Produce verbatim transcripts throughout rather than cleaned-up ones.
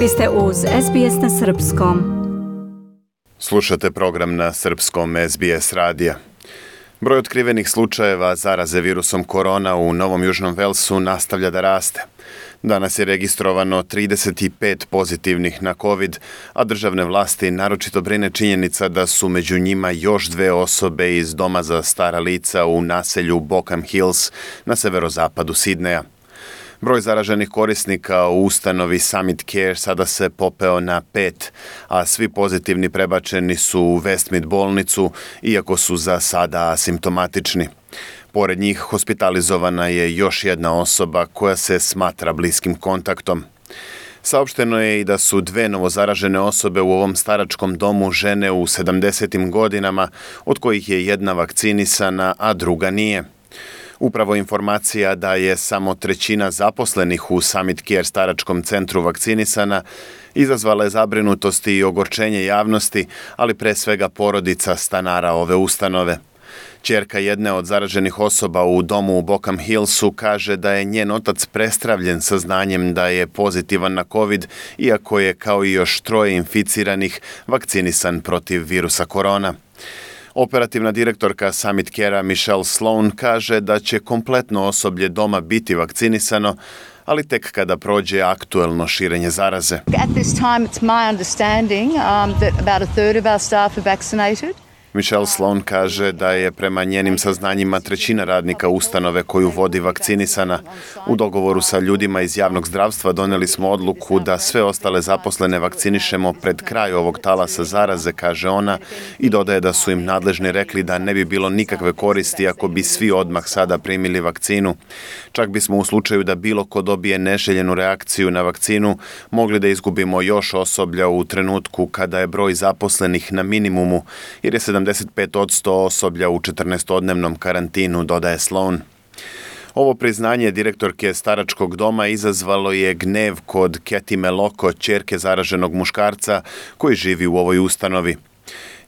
Vi ste uz S B S na srpskom. Slušate program na srpskom S B S radija. Broj otkrivenih slučajeva zaraze virusom korona u Novom Južnom Velsu nastavlja da raste. Danas je registrovano trideset pet pozitivnih na COVID, a državne vlasti naročito brine činjenica da su među njima još dve osobe iz doma za stara lica u naselju Bokham Hills na severozapadu Sidneja. Broj zaraženih korisnika u ustanovi Summit Care sada se popeo na pet, a svi pozitivni prebačeni su u Westmead bolnicu, iako su za sada asimptomatični. Pored njih hospitalizovana je još jedna osoba koja se smatra bliskim kontaktom. Saopšteno je i da su dve novozaražene osobe u ovom staračkom domu žene u sedamdesetim godinama, od kojih je jedna vakcinisana, a druga nije. Upravo informacija da je samo trećina zaposlenih u Summit Care staračkom centru vakcinisana izazvala je zabrinutost i ogorčenje javnosti, ali pre svega porodica stanara ove ustanove. Ćerka jedne od zaraženih osoba u domu u Bokham Hillsu kaže da je njen otac prestravljen saznanjem da je pozitivan na COVID, iako je kao i još troje inficiranih vakcinisan protiv virusa korona. Operativna direktorka Summit Care-a Michelle Sloan kaže da će kompletno osoblje doma biti vakcinisano, ali tek kada prođe aktuelno širenje zaraze. At this time it's my understanding um, that about a third of our staff are vaccinated. Michelle Sloan kaže da je prema njenim saznanjima trećina radnika ustanove koju vodi vakcinisana. U dogovoru sa ljudima iz javnog zdravstva doneli smo odluku da sve ostale zaposlene vakcinišemo pred kraj ovog talasa zaraze, kaže ona, i dodaje da su im nadležni rekli da ne bi bilo nikakve koristi ako bi svi odmah sada primili vakcinu. Čak bismo u slučaju da bilo ko dobije neželjenu reakciju na vakcinu mogli da izgubimo još osoblja u trenutku kada je broj zaposlenih na minimumu, jer je sedamdeset pet posto osoblja u četrnaestodnevnom karantinu, dodaje Sloan. Ovo priznanje direktorke staračkog doma izazvalo je gnev kod Katie Meloko, ćerke zaraženog muškarca koji živi u ovoj ustanovi.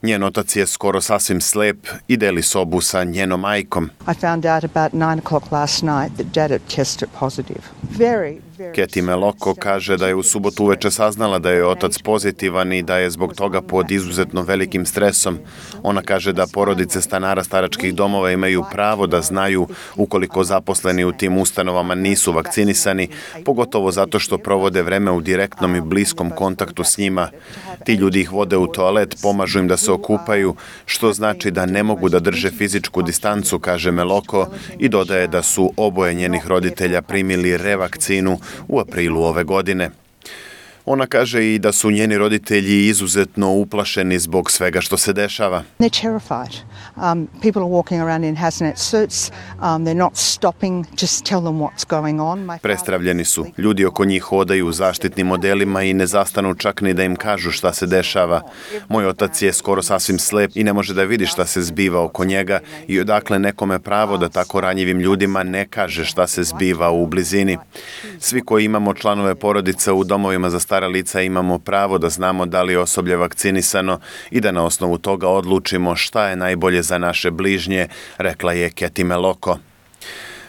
Njen otac je skoro sasvim slep i deli sobu sa njenom majkom. I found out about nine o'clock last night that Dad had tested positive. Very, very... Katie Meloko kaže da je u subotu uveče saznala da je otac pozitivan i da je zbog toga pod izuzetno velikim stresom. Ona kaže da porodice stanara staračkih domova imaju pravo da znaju ukoliko zaposleni u tim ustanovama nisu vakcinisani, pogotovo zato što provode vreme u direktnom i bliskom kontaktu s njima. Ti ljudi ih vode u toalet, pomažu im da se okupaju, što znači da ne mogu da drže fizičku distancu, kaže Meloko, i dodaje da su oboje njenih roditelja primili revakcinu u aprilu ove godine. Ona kaže i da su njeni roditelji izuzetno uplašeni zbog svega što se dešava. They're terrified. Um, people are walking around in hazmat suits. Um, they're not stopping. Just tell them what's going on. My Prestravljeni su. Ljudi oko njih hodaju u zaštitnim modelima i ne zastanu čak ni da im kažu šta se dešava. Moj otac je skoro sasvim slep i ne može da vidi šta se zbiva oko njega i odakle nekome pravo da tako ranjivim ljudima ne kaže šta se zbiva u blizini. Svi koji imamo članove porodica u domovima za stara lica imamo pravo da znamo da li je osoblje vakcinisano i da na osnovu toga odlučimo šta je najbolje za naše bližnje, rekla je Katie Meloko.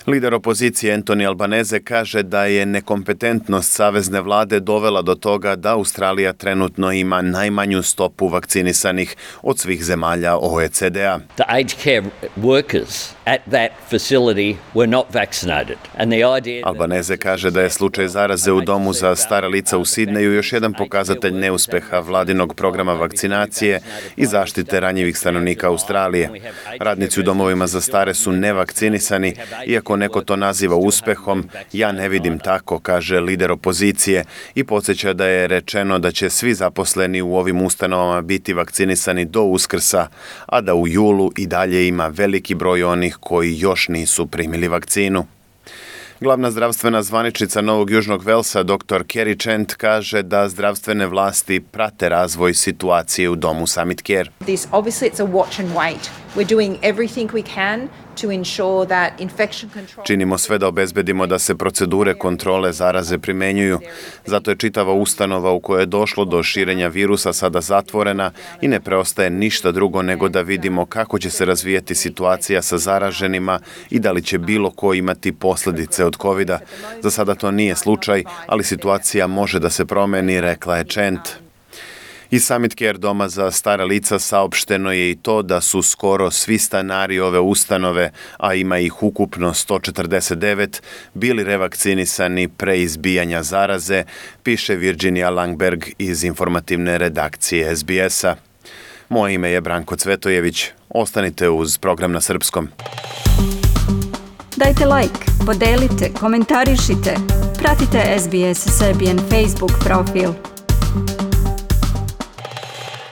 Lider opozicije Anthony Albanese kaže da je nekompetentnost savezne vlade dovela do toga da Australija trenutno ima najmanju stopu vakcinisanih od svih zemalja O E C D-a. The aged care workers at that facility were not vaccinated. And the idea that... Albanese kaže da je slučaj zaraze u domu za stara lica u Sidneju još jedan pokazatelj neuspeha vladinog programa vakcinacije i zaštite ranjivih stanovnika Australije. Radnici u domovima za stare su nevakcinisani, iako neko to naziva uspehom, ja ne vidim tako, kaže lider opozicije i podsjeća da je rečeno da će svi zaposleni u ovim ustanovama biti vakcinisani do Uskrsa, a da u julu i dalje ima veliki broj onih koji još nisu primili vakcinu. Glavna zdravstvena zvaničnica Novog Južnog Velsa, doktor Kerry Chant, kaže da zdravstvene vlasti prate razvoj situacije u domu Summit Care. This obviously it's a watch and wait. We're doing everything we can to ensure that infection control... Činimo sve da obezbedimo da se procedure kontrole zaraze primenjuju. Zato je čitava ustanova u kojoj je došlo do širenja virusa sada zatvorena i ne preostaje ništa drugo nego da vidimo kako će se razvijeti situacija sa zaraženima i da li će bilo ko imati posljedice od kovida. Za sada to nije slučaj, ali situacija može da se promeni, rekla je Chant. Iz Summit Care doma za stara lica saopšteno je i to da su skoro svi stanari ove ustanove, a ima ih ukupno sto četrdeset devet, bili revakcinisani pre izbijanja zaraze, piše Virginia Langberg iz informativne redakcije S B S-a. Moje ime je Branko Cvetojević. Ostanite uz program na srpskom. Dajte like, podelite, komentarišite. Pratite S B S Serbian Facebook profil.